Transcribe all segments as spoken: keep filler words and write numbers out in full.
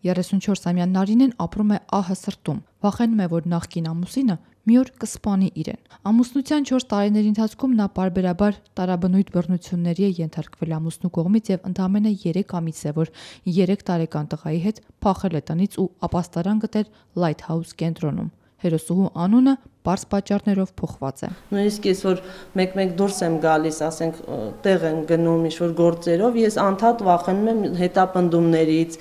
երեսունչորսամյա Նարինեն ապրում է ահը սրտում, վախենում է, որ նախկին ամուսինը մի օր կսպանի իրեն։ Ամուսնության չորս տարիների ընթացքում նա պարբերաբար տարաբնույթ բռնությունների է ենթարկվել ամուսնու կողմից եւ ընդամենը երեք ամիս է, որ երեք տարեկան տղայի հետ փախել է տնից ու ապաստարան գտել Lighthouse կենտրոնում։ Հերոսուհու անունը պարզ պատճառներով փոխված է։ Նույնիսկ ես որ մեկ-մեկ դուրս եմ գալիս, ասենք տեղ եմ գնում ինչ-որ գործերով, ես անդադ վախենում եմ հետապնդումներից,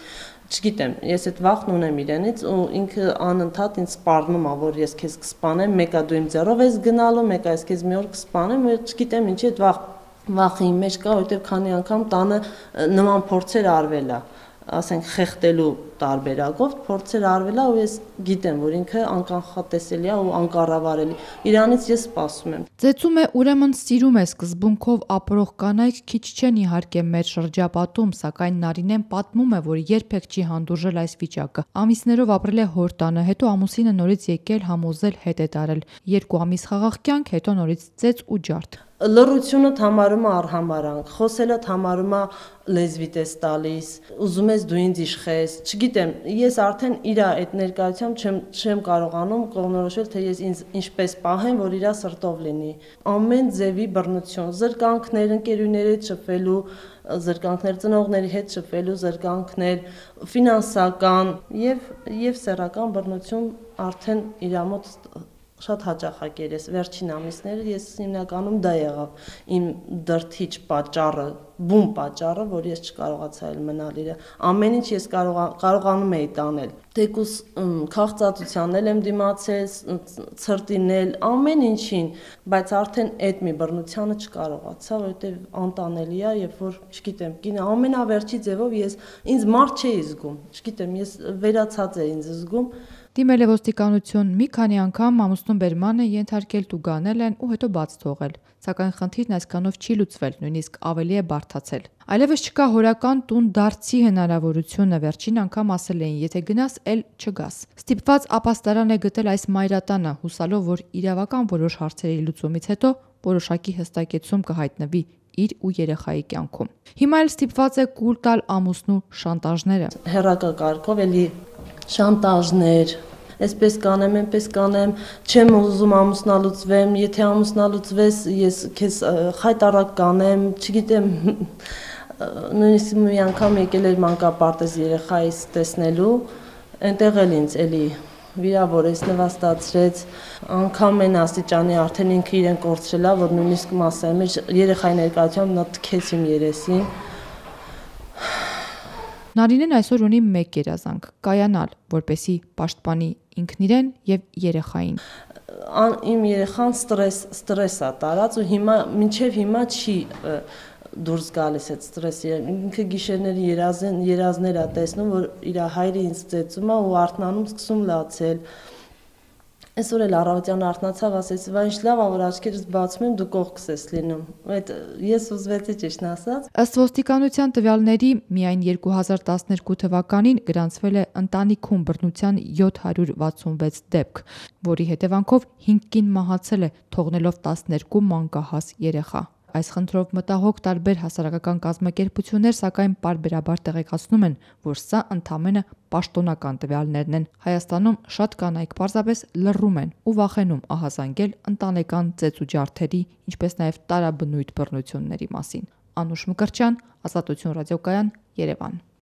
չգիտեմ, ես այդ վախն ունեմ իրենից ու ինքը անընդհատ ինձ սպառնում է, որ ես քեզ կսպանեմ, մեկը դու իմ ձեռով ես գնալու, մեկը ես քեզ մի օր կսպանեմ, չգիտեմ ինչի այդ վախ վախի մեջ կա, որովհետև քանի անգամ տանը նման փորձեր արվել է, ասենք խեղդելու տարբերակով փորձեր արվել է ու ես գիտեմ, որ ինքը անկանխատեսելի է ու անկառավարելի։ Իրանից ես սպասում եմ։ Ծեծում է, ուրեմն սիրում է սկզբունքով ապրող կանայք քիչ չեն իհարկե մեր շրջապատում, սակայն Նարինեն պատմում է, որ երբեք չի հանդուրժել այս վիճակը։ Ամիսներով ապրել է հոր տանը, հետո ամուսինը նորից եկել համոզել հետ է տարել։ Երկու ամիս խաղաղ կյանք, հետո նորից ծեծ ու ջարդ։ Լռությունը համարում է արհամարանք, խոսելը համարում է լեզվիտ ես տալիս, ուզում ես դու ինձ իշխես, չգիտեմ, ես արդեն իր այդ ներկայությամբ չեմ չեմ կարողանում կողմնորոշել, թե ես ինձ ինչպես պահեմ, որ իր սրտով լինի։ Ամեն ձևի բռնություն, զրկանքներ, ընկերուների հետ շփվելու, զրկանքներ ծնողների հետ շփվելու, զրկանքներ ֆինանսական եւ եւ սեռական բռնություն արդեն իր մոտ շատ հաճախակեր ես վերջին ամիսները ես հիմնականում դա եղավ իմ դրթիչ պատճառը, բուն պատճառը, որ ես չկարողացա էլ մնալ իրը։ Ամեն ինչ ես կարողանում էի տանել։ Թեկուս քաղցածությանն էլ եմ դիմացել, ցրտին էլ, ամեն ինչին, բայց արդեն այդ մի բռնությանը չկարողացա, որովհետև անտանելի է, երբ որ, չգիտեմ, կինը ամենավերջի ձևով ես ինձ մարդ չէի զգում, չգիտեմ, ես վերացած էի ինձ զգում։ Դիմել է ոստիկանություն, մի քանի անգամ ամուսնուն բերման է ենթարկել, տուգանել են ու հետո բաց թողել, սակայն խնդիրն այսքանով չի լուծվել, նույնիսկ ավելի է բարդացել։ Այլևս չկա հորական տուն դարձի հնարավորությունը, վերջին անգամ ասել էին, եթե գնաս, էլ չգաս։ Ստիպված ապաստարան է գտել այս մայրատանը, հուսալով, որ իրավական որոշ հարցերի լուծումից հետո որոշակի հստակեցում կհայտնվի իր ու երեխայի կյանքում։ Հիմա էլ ստիպված է կուլ տալ ամուսնու շանտաժները։ Հեռակա կարգով էլի շանտաժներ, այսպես կանեմ, այնպես կանեմ, չեմ ուզում ամուսնալուծվեմ, եթե ամուսնալուծվես, ես քեզ խայտարակ կանեմ, չգիտեմ, նույնիսկ մի անգամ եկել էր մանկապարտեզ երեխայիս տեսնելու, այնտեղ էլ ինձ էլի վիրավորեց, նվաստացրեց, անգամ այն աստիճանի արդեն ինքը իրեն կորցրել է, որ նույնիսկ մասեմ երեխայի ներկայությամբ նա թքեց իմ երեսին։ Նարինեն այսօր ունի մեկ երազանք՝ կայանալ, որպեսզի պաշտպանի ինքն իրեն եւ երեխային։ Իմ երեխան ստրես ստրես է տարած ու հիմա մինչեւ հիմա չի դուրս գալիս այդ ստրեսը։ Ինքը գիշերների երազն երազներ է տեսնում, որ իր հայրը ինձ ծեծում է ու արթնանում սկսում լացել։ Այսօր էլ առավոտյան արթնացավ, ասեց, «Վայ, ինչ լավ է, որ աչքերս բացում եմ, դու կողքս ես լինում»։ Այդ ես ուզվեցի ճիշտն ասած։ Ըստ ոստիկանության տվյալների, միայն երկու հազար տասներկու թվականին գրանցվել է ընտանիքում բռնության յոթ հարյուր վաթսունվեց դեպք, որի հետևանքով հինգ կին մահացել է, թողնելով տասներկու մանկահաս երեխա։ Այս խնդրով մտահոգ տարբեր հասարակական կազմակերպություններ սակայն պարբերաբար տեղեկացնում են, որ սա ընդամենը պաշտոնական տվյալներն են։ Հայաստանում շատ կանայք պարզապես լռում են ու վախենում ահազանգել ընտանեկան ծեծ ու ջարդերի, ինչպես նաև տարաբնույթ բռնությունների մասին։ Անուշ Մկրտչյան, Ազատություն ռադիոկայան, Երևան։